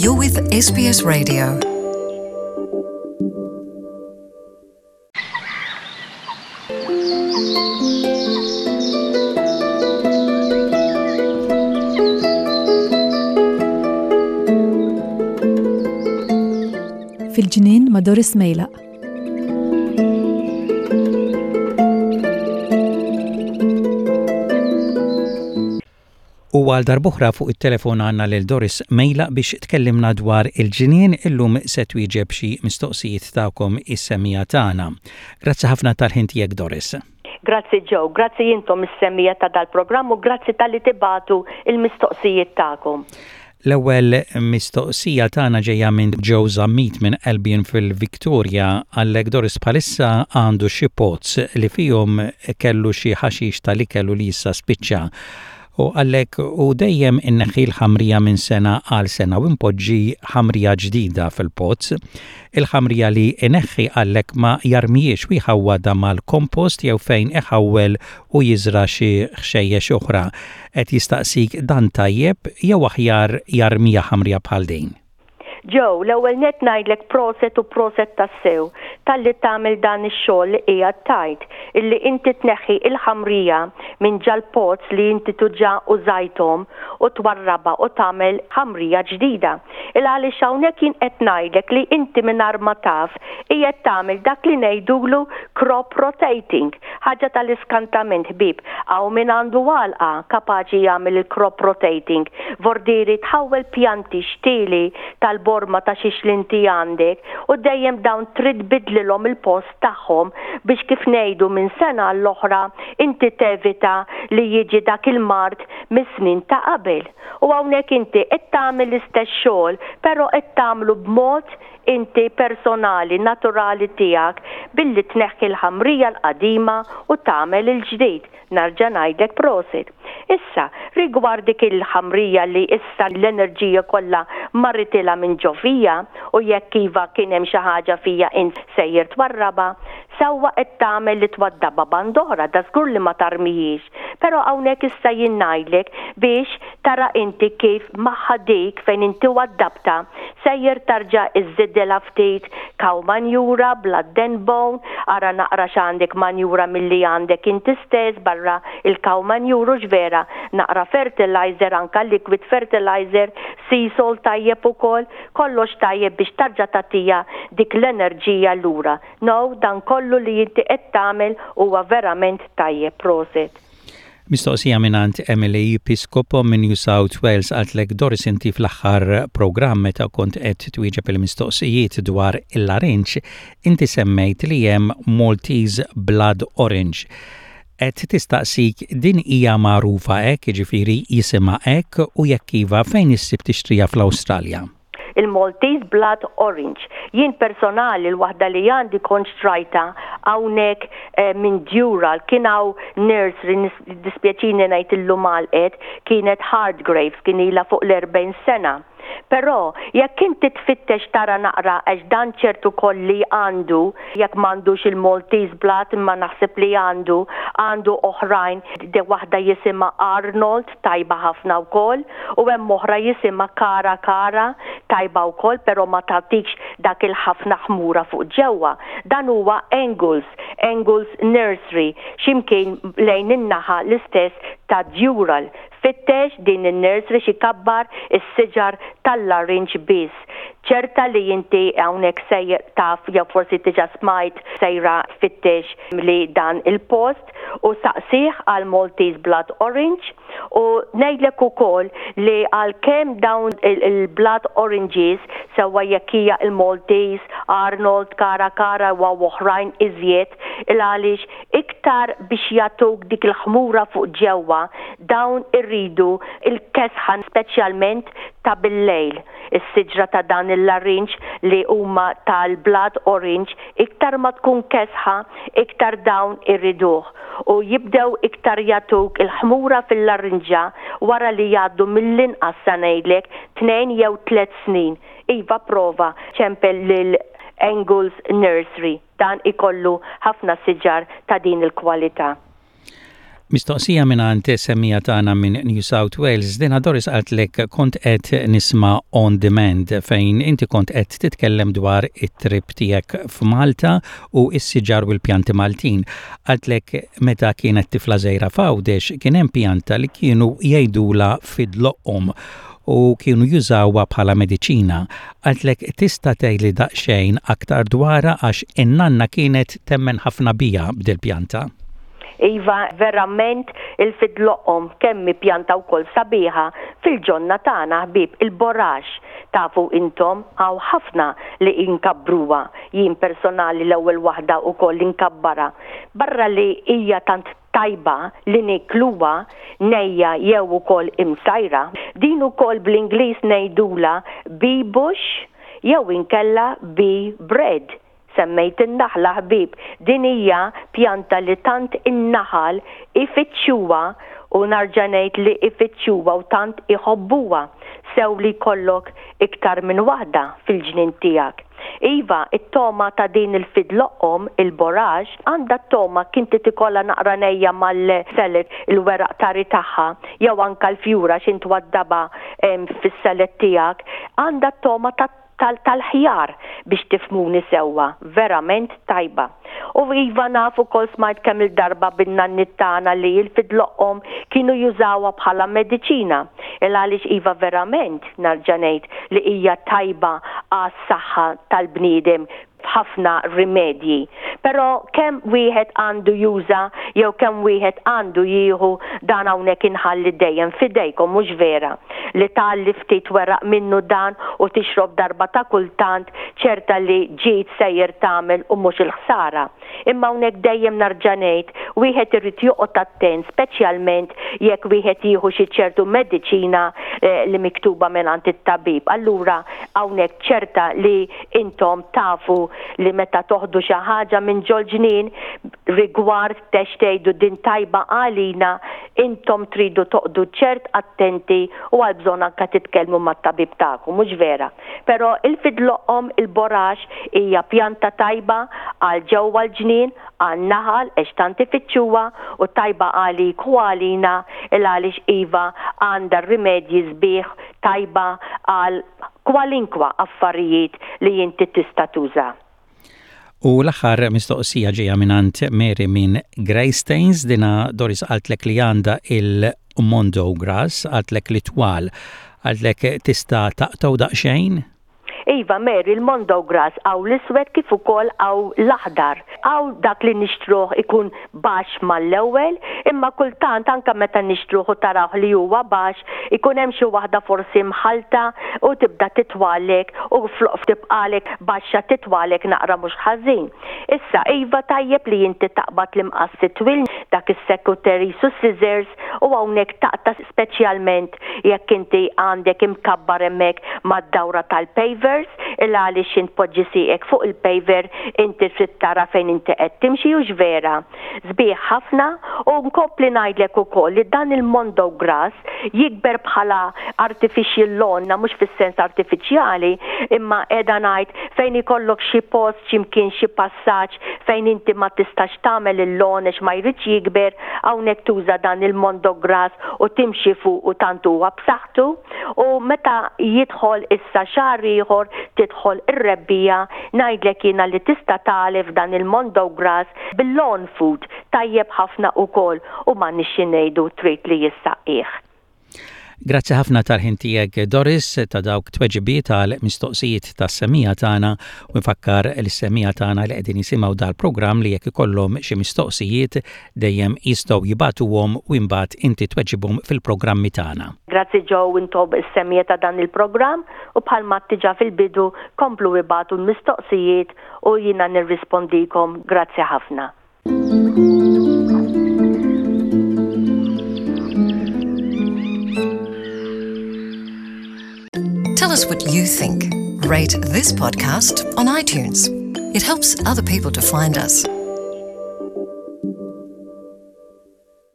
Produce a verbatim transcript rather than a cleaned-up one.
You're with S B S Radio. Fil-ġnien ma' Doris Mejlaq. U għal darb'oħra fuq it-telefon għandna lil Doris Mejlaq biex tkellimna dwar il-ġnien. Illum se twieġeb xi mistoqsijiet tagħkom is-semmiegħa tagħna. Grazzi ħafna tal-ħin tiegħek, Doris. Grazzi Joe, grazzi intom is-semmiegħa ta' dal-programm u grazzi talli tibagħtu il-mistoqsijiet tagħkom. L-ewwel mistoqsija tagħna ġejja minn Joe Zammit minn Albion fil-Victoria. Għalhekk, Doris, bħalissa għandu xi pots li fihom kellu xi ħaxix tal-ikel li issa spiċċa u għalhekk u dejjem inneħħi l-ħamrija minn sena għal sena u npoġġi ħamrija ġdida fil-pots. Il-ħamrija li inneħħi għalhekk ma jarmihiex u jħawwadha mal-kompost jew fejn iħawwel u jiżra xi ħxejjex oħra. Qed jistaqsik dan tajjeb jew aħjar jarmiha ħamrija bħal din? Joe, l-ewwel net ngħidlek proset u proset tassew talli tagħmel dan ix-xogħol li qiegħed tajt, illi inti tneħħi il-ħamrija minn ġal-pots li inti diġà użajthom u twarrabha u tagħmel ħamrija ġdida. Il għaliex hawnhekk jien qed ngħidlek li inti mingħajr ma taf qiegħed tagħmel dak li ngħidulu crop rotating, ħaġa tal-iskantament, ħbieb. Hawn min għandu għalqa kapaċi jagħmel il-crop rotating. Vordiri tħawwel pjanti xtieli tal-borma ta' xiex li inti għandek u dejjem dawn trid tbiddlilhom il-post tagħhom biex, kif ngħidu, minn sena l-oħra inti tevita li jiġi dak il-mard mis-snin ta' qabel. U hawnhekk inti qed tagħmel l-istess xogħol, però qed tagħmlu b'mod inti personali, naturali tiegħek, billi tneħħi l-ħamrija l-qadima u tagħmel il-ġdid. Nerġa' ngħidlek prosit. Issa, rigward dik il-ħamrija li issa l-enerġija kollha marritilha minn ġo fiha u jekk iva kien hemm xi ħaġa fija int sejjer twarrabha, sewwa qed tagħmel li twaddabha band'oħra, da żgur li ma tarmihiex. Però hawnhekk issa jien ngħidlek biex tara inti kif magħha dik fejn inti waddabta sejjer tarġa' iżżidilha ftit cow manjura, blood and bone, ara naqra x'għandek manjura milli għandek inti stess barra il-cow manjura vera, naqra fertilizer, anka liquid fertilizer, sea salt tajjeb ukoll, kollox tajjeb biex tarġa' tagħtiha dik l-enerġija lura. No, dan kollu li inti qed tagħmel huwa verament tajjeb, prosit. Mistoqsija mingħand Emily Piscopo minn New South Wales. Qaltlek, Doris, inti fl-aħħar programm meta kont qed twieġeb il-mistoqsijiet dwar il-larinġ, inti semmejt li hemm Maltese Blood Orange. Qed tistaqsik din hija magħrufa hekk, jiġifieri jisimha hekk, u jekk iva, fejn issib tixtriha fl-Awstralja? Il-Maltese Blood Orange. Jien personali l-waħda li għandi kont xtrajtha hawnhekk eh, minn Dural, kien hawn nursery, dispjaċini ngħid illum għalqet, kienet Hardgraves, kien ilha fuq l-erbgħin sena. Però jekk inti tfittex tara naqra, għax dan ċertu kolli għandu, jekk m'għandux il-Maltese Blood, imma naħseb li għandu, għandu oħrajn, de waħda jisimha Arnold, tajba ħafna wkoll, u hemm oħra jisimha Kara Kara, tajba wkoll, però ma tagħtikx dak il-ħafna ħmura fuq ġewwa. Dan huwa Angles, Angles Nursery, ximkien lejn in-naħa l-istess ta' Dural. Fittex din il-nursery xi kabbar is-siġar tal-larinġ biss. Ċerta li inti hawnhekk sejjer taf jew forsi diġà smajt, sejra tfittex li dan il-post u saqsih għal Maltese Blood Orange. U ngħidlek ukoll li għalkemm dawn il-Blood Oranges, sewwa jekk hija il-Maltese, Arnold, Kara Kara u oħrajn iżjed, il għaliex iktar biex jagħtuk dik il-ħmura fuq ġewwa, dawn irridu il-kesħan, speċjalment ta' bil-lejl. Is-siġra ta' dan il-larinġ li huma tal-Blood Orange, iktar ma tkun kesħa, iktar dawn irriduh. U jibdew iktar jagħtuk il-ħmura fil-larinġa wara li jgħaddu mill-inqas, sa ngħidlek, tnejn jew tliet snin. Iva, prova ċempel lil Angles Nursery. Dan ikollu ħafna siġar ta' din il-kwalità. Mistoqsija mingħand semmiegħa tagħna minn New South Wales, dina Doris qaltlek kont qed nisma' on demand fejn inti kont qed titkellem dwar it-trip tiegħek f'Malta u s-siġar u l-pjanti Maltin. Qaltlek meta kienet tifla żgħira f'Għawdex kien hemm pjanta li kienu jgħidula fidloqqom u kienu jużawha bħala mediċina. Qaltlek tista' tgħidli daqsxejn aktar dwarha għax in-nanna kienet temmen ħafna biha b'dil-pjanta. Iva, verament il-fidloqqom kemm pjanta wkoll sabiħa fil-ġonna tagħna ħbieb il-borax. Tafu intom hawn ħafna li inkabbruha. Jien personali l-ewwel waħda wkoll inkabbarha. Barra li hija tant tajba li nikluha nejja jew ukoll imsajra. Din ukoll bl-Ingliż ngħidula bee bush jew inkella bee bread semmejt in-naħla ħbib. Din hija pjanta li tant in-naħal ifittxuha u nerġa' ngħid li ifittxuha u tant iħobbuha sew li jkollok iktar minn waħda fil-ġnien tiegħek. Iva, it-togħma ta' din il-fidloqqom, il-borax, għandha t-togħma kinti tikolla naqra nejja mal-salad il-weraq tari tagħha, jew anka l-fjura x'int twaddabha fis-salad tiegħek, għandha t-togħma ta' tal-ħjar biex tifhmuni sewwa, verament tajba. U iva naf ukoll smajt kemm il-darba bin-nanniet tagħna li l-fidloqqom kienu jużawha bħala mediċina. Il għaliex iva verament nerġa' ngħid li hija tajba għas-saħħa tal-bniedem ħafna rimedji. Però kemm wieħed għandu juża jew kemm wieħed għandu jieħu dan hawnhekk inħalli dejjem fidejkom mhux vera li tgħalli ftit weraq minnu dan u tixrob darba ta' kultant ċerta li ġid sejjer tagħmel u mhux il-ħsara. Imma hawnhekk dejjem nerġa' ngħid wieħed irid joqgħod attent speċjalment jekk wieħed jieħu xi ċertu mediċina eh, li miktuba mingħand it-tabib. Allura hawnhekk ċerta li intom tafu li meta toħdu xi ħaġa minn ġol-ġnien rigward tex tgħidu din tajba għalina intom tridu toqogħdu ċert attenti u għal bżonn anka titkellmu mat-tabib tagħkom, mhux vera. Però il-fidloqqom il-borax hija pjanta tajba għal ġewwa l-ġnien, għal naħal għax tant ifittxuha u tajba għalik u għalina il għaliex iva għandha rimedji sbieħ tajba għal kwalinkwa affarijiet li inti tista' tuża. U l-aħħar mistoqsija ġejja mingħand Mary minn Greystanes, dina Doris qaltlek li għandha il-Mondo Grass, qaltlek li twal, qaltlek tista' taqtgħu daqsxejn? Iva, Mary, il-Mondo Grass hawn l-iswed kif ukoll hawn l-aħdar. Hawn dak li nixtruh ikun baxx mal-ewwel, imma kultant anka meta nixtruh u tarawh li huwa baxx, ikun hemm xi waħda forsi mħalta u tibda titwalek u flok tibqalek baxxa titwalek naqra mhux ħażin. Issa, iva tajjeb li inti taqbad l-imqassi twil dak is-secateur su scissors u hawnhekk taqta' speċjalment jekk inti għandek imkabbar hemmhekk mad-dawra tal-paver il għaliex int poġġi sieqek fuq il-paver inti trid tara fejn inti qed timxi u vera. Sbieħ ħafna u nkompli ngħidlek ukoll li dan il-Mondo Grass jikber bħala artificial lawn, mhux fis-sens artifiċjali, imma qiegħda ngħid fejn ikollok xi post x'imkien xi passaġġ fejn inti ma tistax tagħmel il-lawn għax ma jridx jikber, hawnhekk tuża dan il-Mondo Grass u timxi fuq u tant huwa b'saħħtu u meta jidħol issa xahar ieħor tidħol ir-rebbiegħa ngħidlek jiena li tista' tagħlef dan il-Mondo Grass bil-lawn food tajjeb ħafna ukoll u ma nixxi ngħidu trid li jissaqqih. Grazzi ħafna tal-ħin tiegħek Doris ta' dawk tweġibiet għal mistoqsijiet tas-semmiegħa tagħna u nfakkar lis-semmiegħa tagħna li qegħdin jisimgħu dal-programm li jekk ikollhom xi mistoqsijiet dejjem jistgħu jibagħtuhom u imbagħad inti tweġibhom fil-programmi tagħna. Grazzi Joe intom is-semmiegħa ta' dan il-programm u bħalma diġà fil-bidu komplu ibagħtu l-mistoqsijiet u jiena nirrispondikom. Grazzi ħafna. Tell us what you think. Rate this podcast on iTunes. It helps other people to find us.